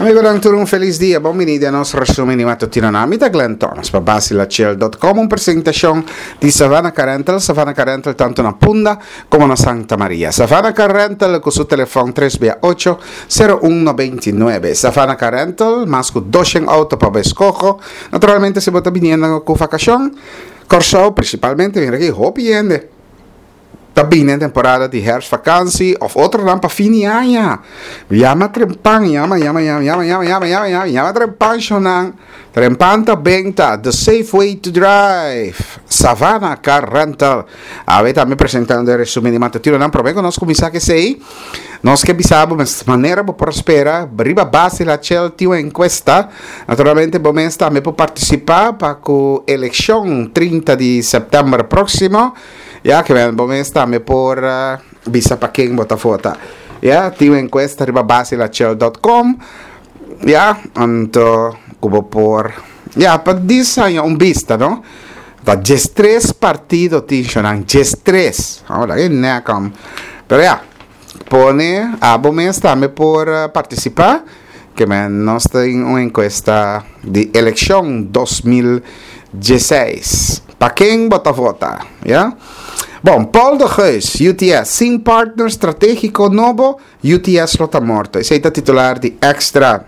Amigonan tur un felis dia, bon bini den nos resumen di matutinonan. Mi ta Glenn Thomas pa Basilachel.com, un presentacion di Savannah Car Rental, Savannah Car Rental tanto na Punda como na Santa Maria. Savannah Car Rental cu su telefon 3 bia 8 0199. Savannah Car Rental, mas cu 200 auto pa bo escoho. Naturalmente si bo ta biniendo cu vacacion, Corsou principalmente, mira aki hopi hende. Ta bini e temporada di herfstvakantie of otronan pa fin di aña. Yama trempan, yama, yama, yama, yama, yama, yama, yama, yama, yama trempan shownan. Trempan ta benta, the safe way to drive. Savannah Car Rental. Awe tambe presentando e resumen di matutinonan. Prome ku nos kuminsá ku esei, nos ke bisa bo mes manera bo por spera riba base la Shell tin un enkuesta. Naturalmente bo mes tambe por partisipá pa ku elekshon 30 di sèptèmber próksimo. Ya, ke men bo mes tambe por bisa pa ken bo ta vota. Ya, tin un encuesta riba basilachel.com. Ya, anto ku bo por ya pa disaña un bista, no? Ta 13 partido tin shonan, 13. Ahora, e nekam. Pero ya, pone abo mes tambe por participa. Ke men nos tin un enkuesta di elekshon 2016. Pa ken bo ta vota? Ya. Bon, Paul de Geus, UTS, sin partner strategiko nobo, UTS lo ta morto. Esei ta titular di Extra.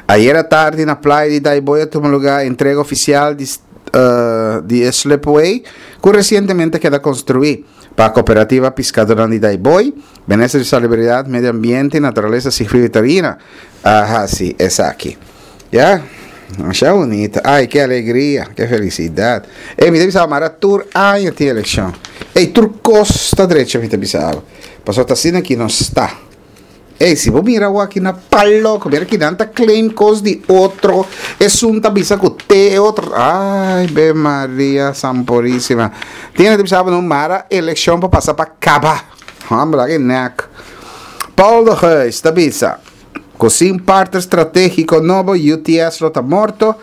Ayera tardi na playa di Daaibooi a tuma lugar entrega ofisial di di e slipway ku resientemente a keda konstruí pa Kooperativa Piskadornan di Daaibooi. Minister di Salubridat, Medio Ambiente i Naturalesa Sigfrido Tarina a hasi esaki. Ya, masha bunita. Ay, ke alegria, ke felisidat. Ey, mi ta bisa bo mara tur aña tin elekshon. Ey, tur kos ta drecha mi ta bisa bo. Pasobra ta asina ki nos ta. Ey, si bo mira awor aki na palo, ku mira kinan ta claim kos di otro, esun ta bisa ku te e otro. Ay, be Maria Sanpurisima. Tin hende ta bisa bo no mara elekshon pa pasa pa kaba. Hombre, aki nek. Paul de Geus ta bisa ku sin partner stratégiko nobo UTS lo ta morto.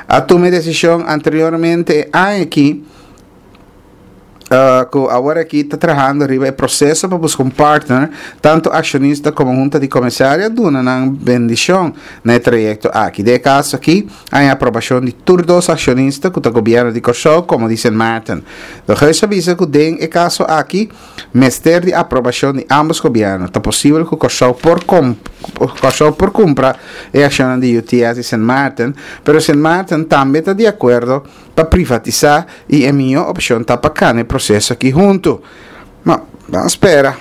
A tuma e desishon anteriormente e aña aki ku awor aki ta trahando riba e proseso pa buska un partner. Tantu akshonista komo hunta di komisario a duna nan bendishon na e trayekto aki. Den e kaso aki a haña aprobashon di tur dos akshonista ku ta gobièrnu di Kòrsou komo di Sint Maarten. De Geus a bisa ku den e kaso aki Mester di aprobashon di ambos gobièrnu. Ta posibel ku Kòrsou por Kòrsou por kumpra e akshonnan di UTS i Sint Maarten, pero Sint Maarten tambe ta di akuerdo pa privatisá i e mihó opshon ta pa kana e proseso aki huntu. No, ban spera.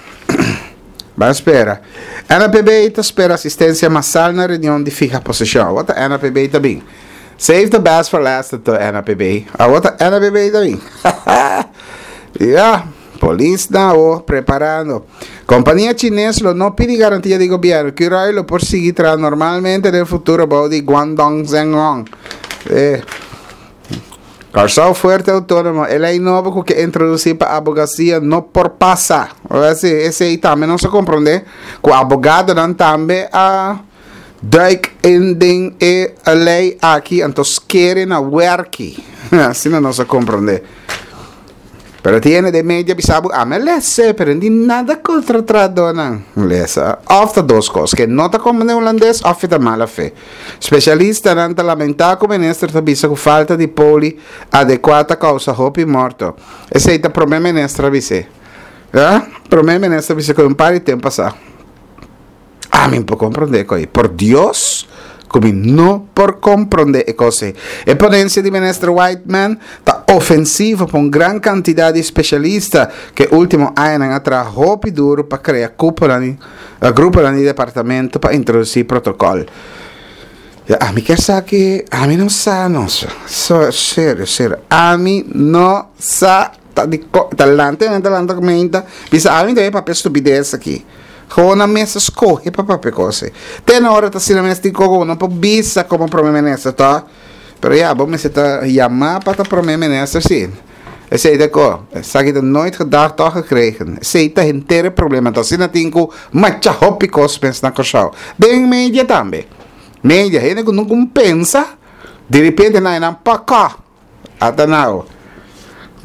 Ban spera. NAPB ta spera asistensia masal na reunion di fiha posishon. Awor ta NAPB ta bin. Save the best for last anto NAPB. Awor ta NAPB ta bin. Ya, polis na awo preparando. Kompania chines lo no pidi garantia di gobierno. Curoil lo por sigui traha normalmente den futuro bou di Guangdong Zhengrong. Eh. Kòrsou fuerte outónomo, e lei nobo ku ke introdusí pa abogasia no por pasa. Ora si, esei tambe nos a komprondé ku abogadonan tambe a duik in den e lei aki, anto skere na wèrki. Asina nos a komprondé. Pero tin hende den media bisa bo, ami a lesa, pero no tin nada kontra trahadónan. Lesa. Òf ta dos kos, ke no ta komprendé hulandes òf e ta mala fe. Spesialistanan ta lamentá ku minister ta bisa ku falta di poli adekuá ta kousa hopi morto. Esei ta promé minister a bis'é. Ya, promé minister a bisa ku un par di tempu pasá. Ami por comprende e kos ei. Por Dios ku mi no por comprende e kos ei. E ponencia di Minister Whiteman ta ofensivo pa un gran cantidad di specialista ku e ultimo añanan a traha hopi duro pa crea cuponan di gruponan di departamento pa introduci protocol. Ya, ami kier sa ki ami no sa no. So, serio, serio. Ami no sa ta di ko ta lanta ta lanta meinta bisa ami ta papia stupides aki. Gewoon nan mes a scoge pa papia cos ei. Te na ora ta asina mes tin coco bo no por bisa como prome minister to. Pero ya bo mester ta yama pa ta prome minister si. Esey ta co. Esaki ta nooit gedacht toch gekregen. Esey ta henter e problema. Enton asina tin cu macha hopi cos mes na Corsou. Den media tambe. Media hende cu no con pensa diripiente nan nan paka. Ata nau.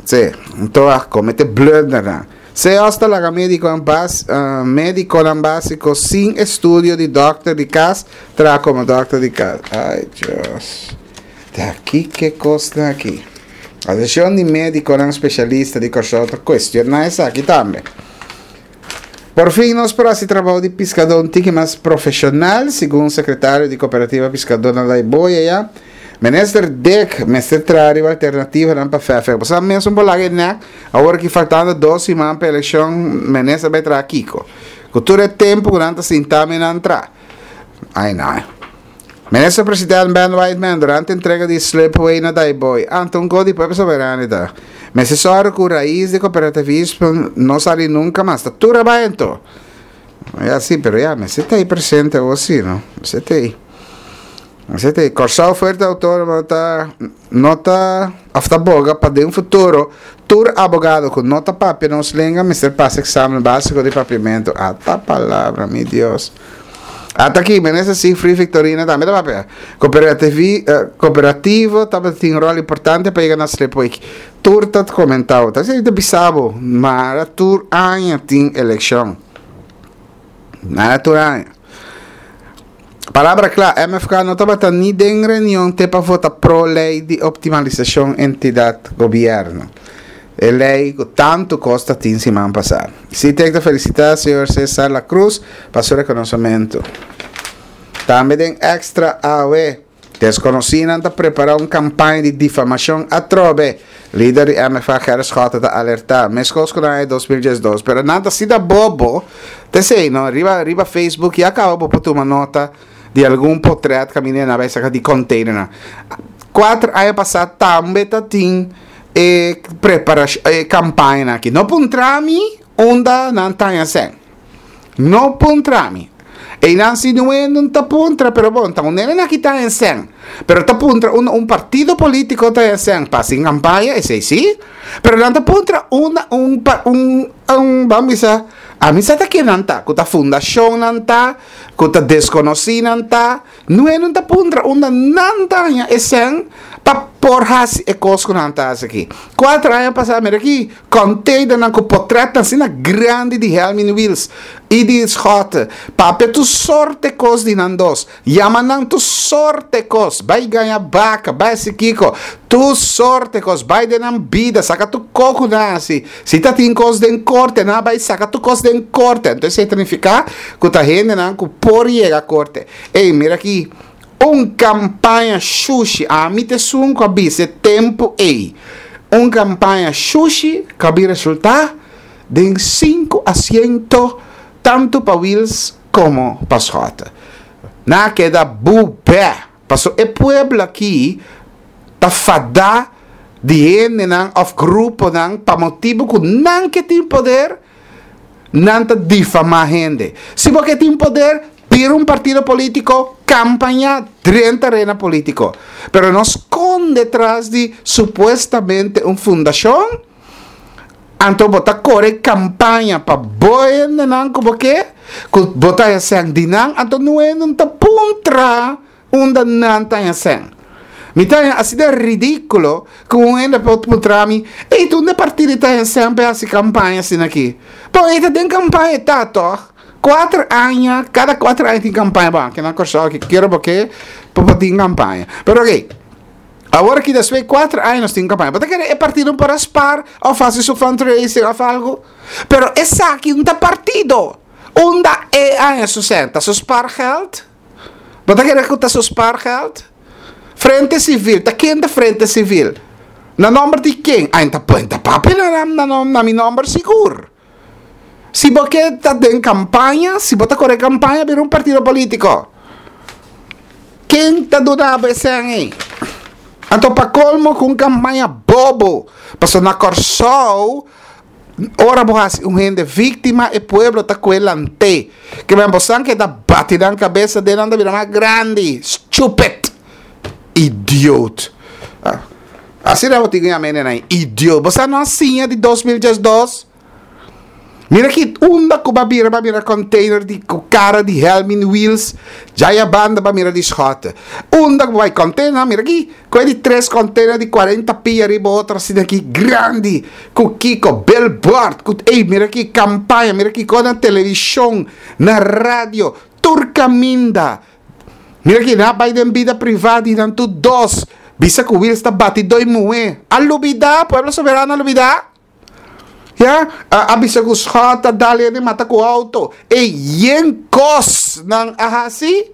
Sí, anto a comete blundernan. CEOS ta laga médikonan bas médikonan básiko sin estudio di dòkter di kas traha komo dòkter di kas. Ai Dios. Ta kiko e kosnan aki? Asosiashon di Médikonan Spesialista di Kòrsou ta kuestioná esaki tambe. Por fin nos por hasi trabou di piskadó un tiki mas profeshonal, segun sekretario di Kooperativa Piskadónan Laiboy aya. Minister Dick mester traha riba alternativanan pa FFK. Bo sa mesun por laga e nek, awor ki faltando dos siman pa elekshon, minister bai traha kiko? Ku tur e tempu ku nan ta sinta mi nan traha. Ai no. Minister President Ben Whiteman durante entrega di slipway na Daaibooi. Anto un ko di Pueblo Soberano ta. Mester sòru ku rais di kooperativismo no sali nunka mas. Ta tur a bai anto. Ya si, pero ya mester ta ei presente awor si no. Mester ta ei. Mester ta ei. Kòrsou Fuerte Outónomo ta no ta òf ta boga pa den futuro tur abogado ku no ta papia nos lenga mester pasa eksamen básiko di papiamentu. Ata palabra, mi Dios. Ata aki, Minister Siegfried Victorina tambe ta papia. Kooperativi, kooperativo tabatin ròl importante pa yega na Slipwijk. Tur ta komentá bo. Ta esei ta bisa bo, mara tur aña tin elekshon. Mara tur aña. Palabra kla, MFK no tabata ni den reunion te pa vota pro lei di optimalisashon entidat gobièrnu. E lei ku tantu kos ta tin siman pasá. Sitek ta felisitá señor Cesar La Cruz pa su rekonosementu. Tambe den Extra awe, deskonosínan ta prepará un kampaña di difamashon atrobe. Lider di MFA Gerrit Schotte ta alertá, meskos ku na aña 2012. Pero nan ta asina bobo, ta esei no, riba riba Facebook ya kaba bo por tuma nota di algun potret kaminda nan a bai saka di containernan. Kuater aña pasá tambe ta tin e preparacion e campaña aki. No puntra mi unda nan taña sen. No puntra mi. Einan si nuendo ta puntra, pero bon, ta un nene aki taña sen. Pero ta puntra unda un partido politico taña sen pa sin campaña, esei sí. Pero nan ta puntra unda un un un ban bisa, a mi sa ta ken nan ta, ku ta fundacion nan ta, ku ta desconoci nan ta. Nueno ta puntra unda nan ta haña e sèn pa por hasi e kos ku nan ta hasi aki. Kuater aña pasá mira aki kònteinernan ku potrètnan asina grandi di Helmin Wiels i di Schotte. Papia tur sorte kos di nan dos. Yama nan tur sorte kos. Bai gaña baka, bai hasi kiko. Tur sorte kos. Bai den nan bida, saka tur kos ku nan hasi. Si ta tin kos den korte, nan a bai saka tur kos den korte. Anto esei ta nifiká ku ta hendenan ku por yega korte. Ey, mira aki, un kampaña shushi, ami ta esun ku a bisa e tempu ey, un kampaña shushi ku a bin resultá den sinku asiento tantu pa Wiels komo pa Schotte. Nan a keda bubè, pasobra e pueblo aki ta fadá di hendenan òf gruponan pa motibu ku nan ke tin poder, Nan ta difamá hende. Si bo ke tin poder, bira un partido polítiko, kampañá, drenta arena polítiko. Pero no skonde tras di supuestamente un fundashon, anto bo ta kore kampaña pa bo hendenan ku bo ke, ku bo ta hesèn di nan, anto nuenan ta puntra. Unda nan ta haña sèn? Mi ta haña asina ridíkulo ku un hende por puntra mi, Ey, ta unda e partido ta haña sèn pa e hasi kampaña asina aki? Bo, e ta den kampaña e ta tòg? Kuater aña, kada kuater aña tin kampaña. Bon, aki na Kòrsou aki kier bo ke pa bo tin kampaña. Pero okey, awor aki despues di kuater aña nos tin kampaña. Bo ta kere e partido por a spar òf hasi su fundraising òf algu? Pero esaki no ta partido. Unda e haña su sèn? Ta su spaargeld? Bo ta kere ku ta su spaargeld? Frente Civil, ta ken ta Frente Civil? Na nomber di ken? Ai ta pon ta papia na na na na mi nomber sigur. Si bo ke ta den kampaña, si bo ta kore kampaña bira un partido politiko. Ken ta duna bo e sèn ei? Anto pa kolmo ku un kampaña bobo, pasobra na Kòrsou Ora bo hasi un hende víktima, e pueblo ta kue lant'é. Ke men bosan keda bati nan kabesa den nan ta bira mas grandi. Stupid! Idioot! Asina bo tin ku yama hende nan, idiot. Bosan no a siña di 2012? Mira ki unda ku ba bira ba mira container di ku kara di Helmin Wiels djaya banda ba mira di Schotte. Unda ku bai container mira ki ku e di tres container di cuarenta pia riba otro asina aki grandi ku kiko billboard ku ey mira ki campaña mira kiko na television na radio tur caminda. Mira ki nan a bai den bida priva di nan tur dos bisa ku Wiels ta bati doi muhe. A lubida pueblo soberano a lubida. Ya, a bisa ku Schot a dal hende mata ku auto. E yen kos nan a hasi,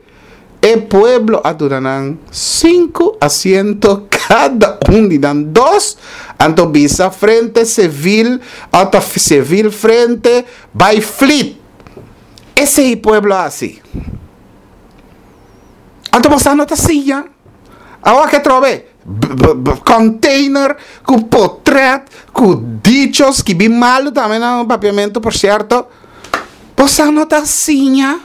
e pueblo a duna nan sinku asiento kada un di nan dos, anto bisa Frente Sevil ota Sevil Frente bai flit. Esei pueblo a hasi. Anto boso no ta siña. Awor ke trobe? Container ku potret ku dicho skibi malu tambe na papiamentu por sierto. Boso no ta siña.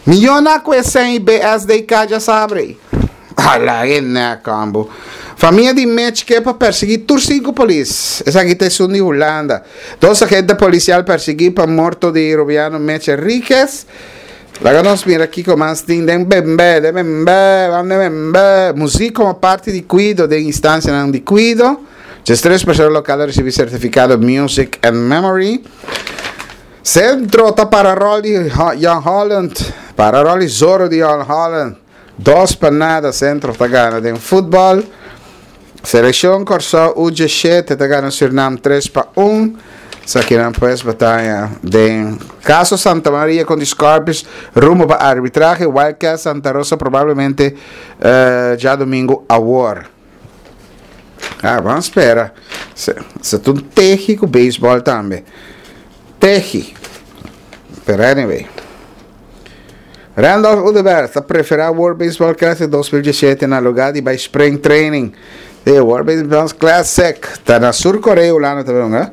Miona ku e sen i BSDK dja sabre. Ala e nek hombo. Famia di Mitch ke pa persegui tur sinku polis. Esaki ta esun di Hulanda. Dos agente polisial persegui pa morto di Rubiano Mitch Enriquez. Laga nos mira kiko mas tin den bembe, den bembe, ban den bembe. Muzik komo parti di kuido den instansianan di kuido. 13 persona lokal a risibí sertifikado Music and Memory. Sentro ta para ròl di Jong Holland, para ròl di Zorro di Jong Holland. 2-0 Sentro ta gana den futbòl. Selekshon Kòrsou U17 ta gana Sürnam 3-1. Esakinan pues bataya den kaso Santa Maria kon di Scorpions rumbo pa arbitrahe Wildcats Santa Rosa probablemente djadumingu awor. Ah, ban spera. Se, se ta un tehi ku beisbòl tambe. Tehi. Pero anyway. Randolph Oduber ta preferá World Baseball Classic 2017 na lugá di bai Spring Training. E World Baseball Classic ta na Sur Korea, Hulanda ta hunga.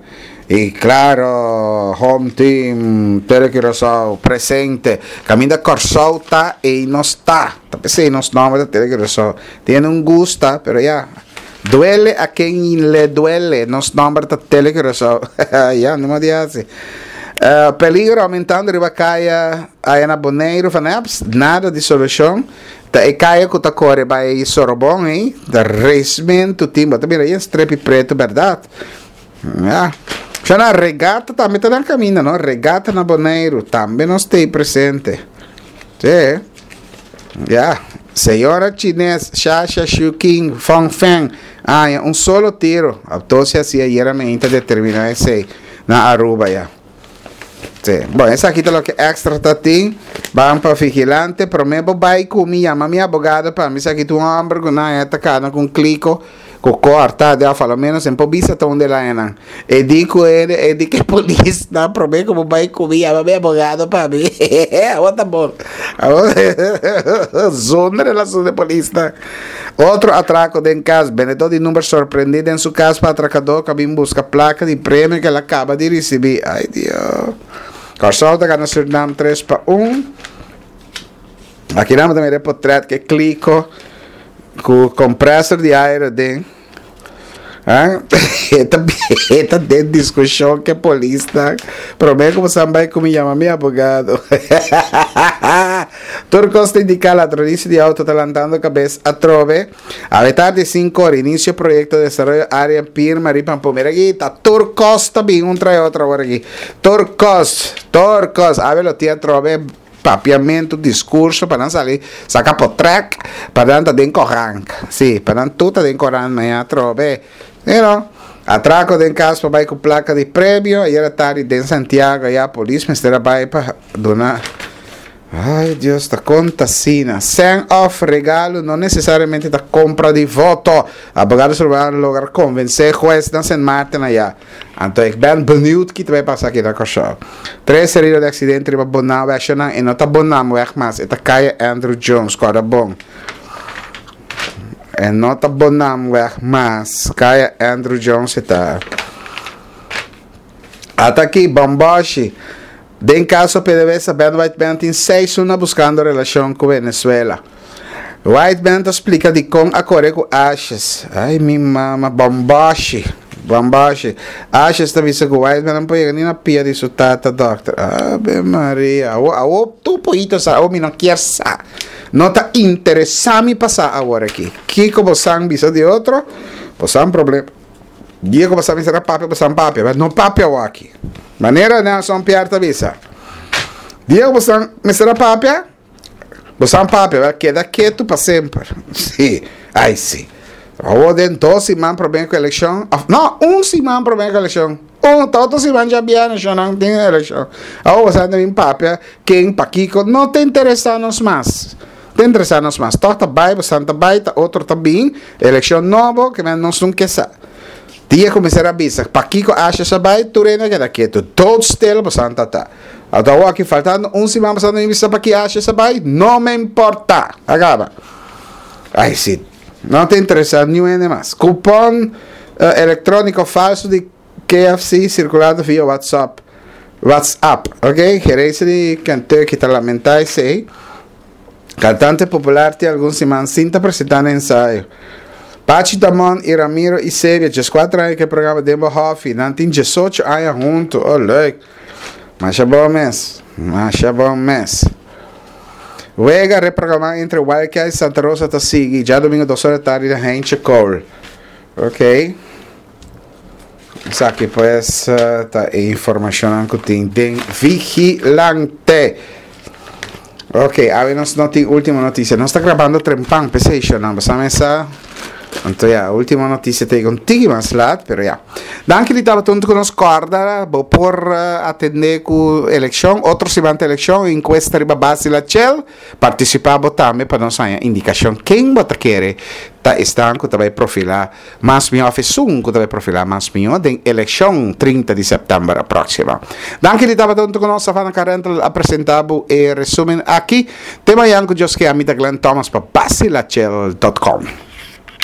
I klaro, home team Tele Curaçao presente. Kaminda Kòrsou ta, ei nos ta. Ta p'esei nos nòmber ta Tele Curaçao. Tiene un gusta, pero ya. Duele a ken le duele. Nos nòmber ta Tele Curaçao. Ya, no di hasi. Peligro aumentando riba kaya aya na Boneiru van Eps, nada di solushon. Ta e kaya ku ta kore bai Sorobon ei, ta resmentu tin, bo ta mira yen strepi pretu bèrdat. Ya. Shana, regata tambe ta na kaminda, no? Regata na Boneiru, tambe nos ta ei presente. Sí. Ya. Señora chines Shasha Shuking Fong Feng a haña un solo tiro. Autopsia hasi ayera meinta determiná esei na Aruba ya. Sí. Bon, esaki ta loke extra ta tin. Ban pa vigilante. Promé bo bai ku mi, yama mi abogado pa mi. Esaki ta un hòmber ku nan a ta kana ku un kliko. Ku kòrta de òf a lo ménos en por bisa ta un de lañanan. E di ku e e di ku e polisnan promé ku bo bai ku mi yama mi abogado pa mi. Awor ta bon. Awor zonder relacion de polisnan. Otro atrako den kas. Bendedó di number sorprendí den su kas pa atrakadó ku a bin buska plaka di premio ku el a kaba di risibí. Ay Dios. Kòrsou ta gana Surinam 3-1. Aki nan bo ta mira e potret ku e kliko ku kompresor di aire den. E ta e ta den diskushon ku e polisnan. Promé ku bo san bai ku mi yama mi abogado. Tur kos ta indiká ladronisia di outo ta lantando kabes atrobe. Awe tardi sinku ora inisio proyekto desaroyo área Pirma riba Pampu. Mira aki ta tur kos ta bin un trae otro awor aki. Tur kos, tur kos. Awe lo tin atrobe. Papiamentu, diskurso pa nan sali saka potrèk pa nan ta den korant. Sí, pa nan tur ta den korant mañana atrobe. You know, atrako den kas pa bai ku plaka di premio. Ayer atardi den Santiago ya polis mester a bai pa duna. Ay Dios, ta kon ta asina. Sèn òf regalo no nesesariamente ta kompra di voto. Abogado Sullivan a logra konvensé hues na Sint Maarten aya. Anto ik ben benieuwd ki ta bay pasa aki na Kòrsou. Tres herido di aksidente riba Bonaweg Shonnan e no ta Bonamweg mas e ta Kaya Andrew Jones kòrda bon. E no ta Bonamweg mas Kaya Andrew Jones e ta. Ata aki Bòmbòshi Den kaso PDVSA Ben White Ben tin seis luna buskando relashon ku Venezuela. White Ben ta splika dikon a kore ku Ashes. Ay mi mama Bòmbòshi. Bambashi. Ashes ta bisa ku Whiteman no por yega ni na pia di su tata dòkter. Ave Maria. Awo, awo tur poito sa, awo mi no kier sa. No ta interesá mi pa sa awor aki. Kiko bosan bisa di otro, bosan problema. Dia ku bosan mester a papia, bosan papia. Pero no papia awo aki. Manera Nelson Pierre ta bisa. Dia ku bosan mester a papia, Bosan papia a keda ketu pa semper. Sí, ai sí. Awor den dos siman promé ku elekshon, òf no, un siman promé ku elekshon. Un, ta otro siman djabièrnè shonnan tin elekshon. Awor bosan ta bin papia ken, pakiko, no ta interesá nos mas. Ta interesá nos mas. Tòg ta bai, bosan ta bai, ta otro ta bin, elekshon nobo, ke men nos no ke sa. Dia ku mester a bisa pakiko Ashes a bai, tur hende a keda ketu. Doodstil bosan ta ta. Anto awor aki faltando un siman pasando mi bisa paki Ashes a bai, no me importa. A kaba. Ai si, no ta interesa niun hende mas. Kupon elektroniko falso di KFC sirkulando via WhatsApp. WhatsApp, ok. Gerensia di Kentucky ta lamenta esei. Kantante popular tin algun siman sin ta presentá na ensayo. Pachi Damon i Ramiro Isebia, djeskuater aña ku e programa Den Bo Hòfi. Nan tin djesocho aña huntu. Oh, leuk! Masha bon mes. Masha bon mes. Wega reprogramá entre Wildcats i Santa Rosa ta sigui djadumingu dos ora di tardi na Heintje Kool. Ok. Esaki pues ta e informashonnan ku tin den Vigilante. Ok, awe nos no tin último notisia. Nos ta grabando trempan, p'esei shonnan. Bo sa mesa. Anto ya, último notisia ta yega un tiki mas lat, pero ya. Danki di tabata huntu ku nos. Kòrda bo por atendé ku elekshon, otro siman ta elekshon, enkuesta riba base di la Chel. Partisipá bo tambe pa nos haña indikashon ken bo ta kere ta esnan ku ta bai profilá mas mihó òf esun ku ta bai profilá mas mihó den elekshon 30 di sèptèmber próksimo. Danki di tabata huntu ku nos. Savannah Car Rental a presentá bo e resúmen aki. Te mañan ku Dios ke. Ami ta Glenn Thomas pa Basilachel dot com.